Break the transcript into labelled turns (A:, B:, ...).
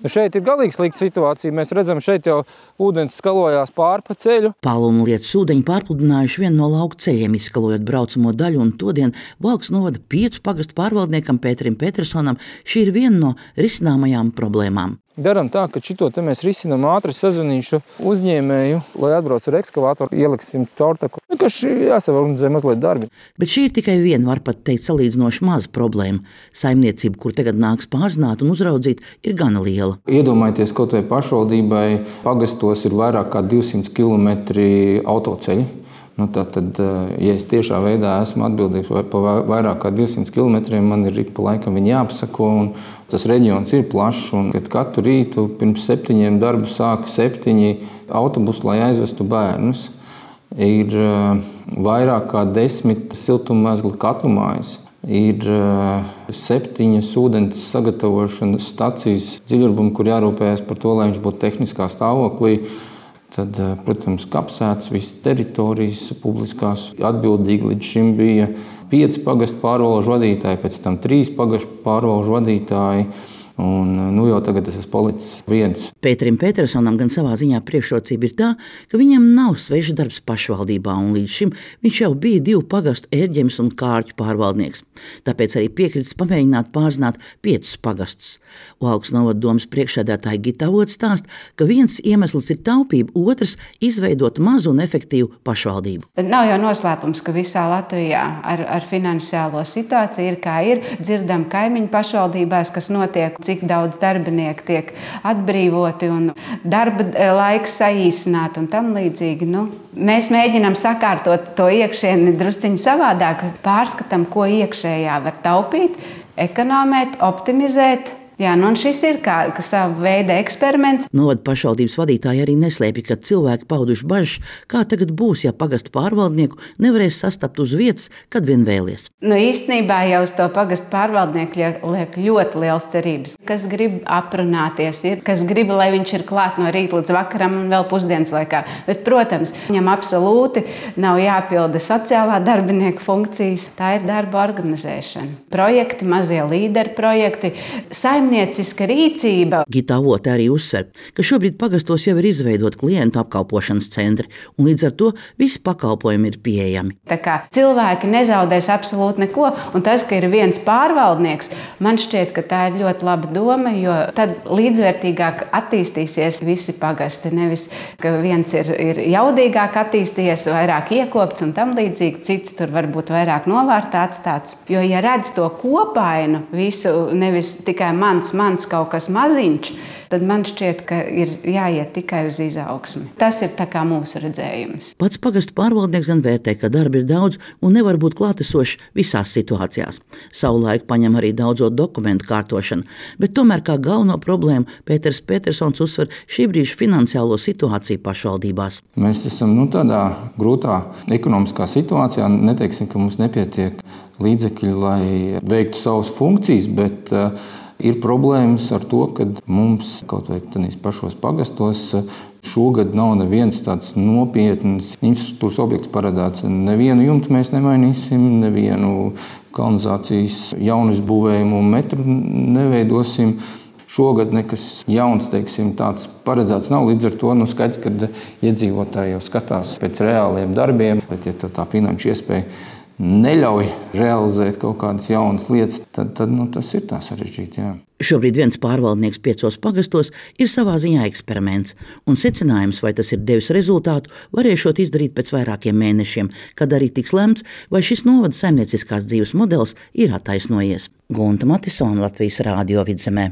A: Šeit ir galīgi slikta situācija. Mēs redzam, šeit jau ūdens skalojās pāri pa ceļu.
B: Paluma lietas ūdeņi pārpludinājuši vienu no lauku ceļiem, izskalojot braucamo daļu, un todien Valkas novada 5 pagastu pārvaldniekam Pēterim Petersonam šī ir viena no risināmajām problēmām.
A: Daram tā, ka šito te mēs risinām ātri, sazvanīšu uzņēmēju, lai atbrauc ar ekskavātoru, ieliksim caurtaku. Vienkārši jāsaorganizē mazliet darbi.
B: Bet šī ir tikai viena, var pat teikt, salīdzinoši maza problēma. Saimniecība, kur tagad nāks pārzināt un uzraudzīt, ir gana liela.
A: Iedomājieties, kaut vai pašvaldībai pagastos ir vairāk kā 200 km autoceļi. Tātad, ja es tiešā veidā esmu atbildīgs par vairāk kā 200 km, man ir ik pa laikam viņi jāpasako, un tas reģions ir plašs, un kad katru rītu pirms 7 darbu sāka 7 autobusi, lai aizvestu bērnus. Ir vairāk kā 10 siltummezgla katlumājas, ir 7 ūdens sagatavošanas stacijas dziļurbumi, kur jārūpējas par to, lai viņš būtu tehniskā stāvoklī. Tad, protams, kapsētas, visas teritorijas publiskās atbildīgi līdz šim bija 5 pagastu pārvalžu vadītāji, pēc tam 3 pagastu pārvalžu vadītāji. Un jau tagad es esmu palicis viens.
B: Pēterim Petersonam gan savā ziņā priekšrocība ir tā, ka viņam nav svešs darbs pašvaldībā, un līdz šim viņš jau bija 2 pagastu Ērģemes un Kārķu pārvaldnieks. Tāpēc arī piekritis pamēģināt pārzināt 5 pagastus. Valkas novada domas priekšsēdētāja Gita Avots stāsta, ka viens iemesls ir taupība, otrs izveidot mazu un efektīvu pašvaldību.
C: Nav jau noslēpums, ka visā Latvijā ar finansiālo situāciju ir kā ir. Dzirdam kaimiņu pašvaldībās, kas notiek, cik daudz darbinieku tiek atbrīvoti un darba laiks saīsināt un tam līdzīgi. Mēs mēģinām sakārtot to iekšieni drusciņi savādāk, pārskatām, ko iekšējā var taupīt, ekonomēt, optimizēt. Un šis ir kā sava veida eksperiments.
B: Novada pašvaldības vadītāji arī neslēpj, ka cilvēki pauduši bažas, kā tagad būs, ja pagastu pārvaldnieku nevarēs sastapt uz vietas, kad vien vēlies.
C: Īstenībā jau uz to pagastu pārvaldnieku liek ļoti liels cerības. Kas grib aprunāties, kas grib, lai viņš ir klāt no rīta līdz vakaram un vēl pusdienas laikā. Bet, protams, viņam absolūti nav jāpilda sociālā darbinieka funkcijas. Tā ir darba organizēšana. Projekti, mazie līderi projekti, saimnieciska rīcība.
B: Gita Avota arī uzsver, ka šobrīd pagastos jau ir izveidot klientu apkalpošanas centri, un līdz ar to visi pakalpojumi ir pieejami.
C: Tā kā cilvēki nezaudēs absolūti neko, un tas, ka ir viens pārvaldnieks, man šķiet, ka tā ir ļoti laba doma, jo tad līdzvērtīgāk attīstīsies visi pagasti. Nevis, ka viens ir jaudīgāk attīstījies, vairāk iekopts un tam līdzīgi, cits tur varbūt vairāk novārtā atstāts. Jo, ja redz to kopainu, visu, nevis tikai mans kaut kas maziņš, tad man šķiet, ka ir jāiet tikai uz izaugsmi. Tas ir tā kā mūsu redzējums.
B: Pats pagastu pārvaldnieks gan vērtē, ka darba ir daudz un nevar būt klātesošs visās situācijās. Savulaik paņem arī daudzo dokumentu kārtošanu, bet tomēr kā galveno problēmu Pēters Petersons uzsver šī brīža finansiālo situāciju pašvaldībās.
A: Mēs esam tādā grūtā ekonomiskā situācijā. Neteiksim, ka mums nepietiek līdzekļi, lai veiktu savas funkcijas, bet ir problēmas ar to, ka mums kaut vai tādīs pašos pagastos šogad nav neviens tāds nopietns infrastruktūras objekts paredzēts. Nevienu jumtu mēs nemainīsim, nevienu kanalizācijas jaunu izbūvējumu metru neveidosim. Šogad nekas jauns, tāds paredzēts nav. Līdz ar to skaidrs, ka iedzīvotāji jau skatās pēc reāliem darbiem, bet ja tā finanšu iespēja neļauj realizēt kaut kādas jaunas lietas, tad tas ir tā sarežģīti. Jā.
B: Šobrīd viens pārvaldnieks 5 pagastos ir savā ziņā eksperiments, un secinājums, vai tas ir devis rezultātu, varēšot izdarīt pēc vairākiem mēnešiem, kad arī tiks lemts, vai šis novada saimnieciskās dzīves modelis ir attaisnojies. Gunta Matisone, Latvijas Rādio Vidzemē.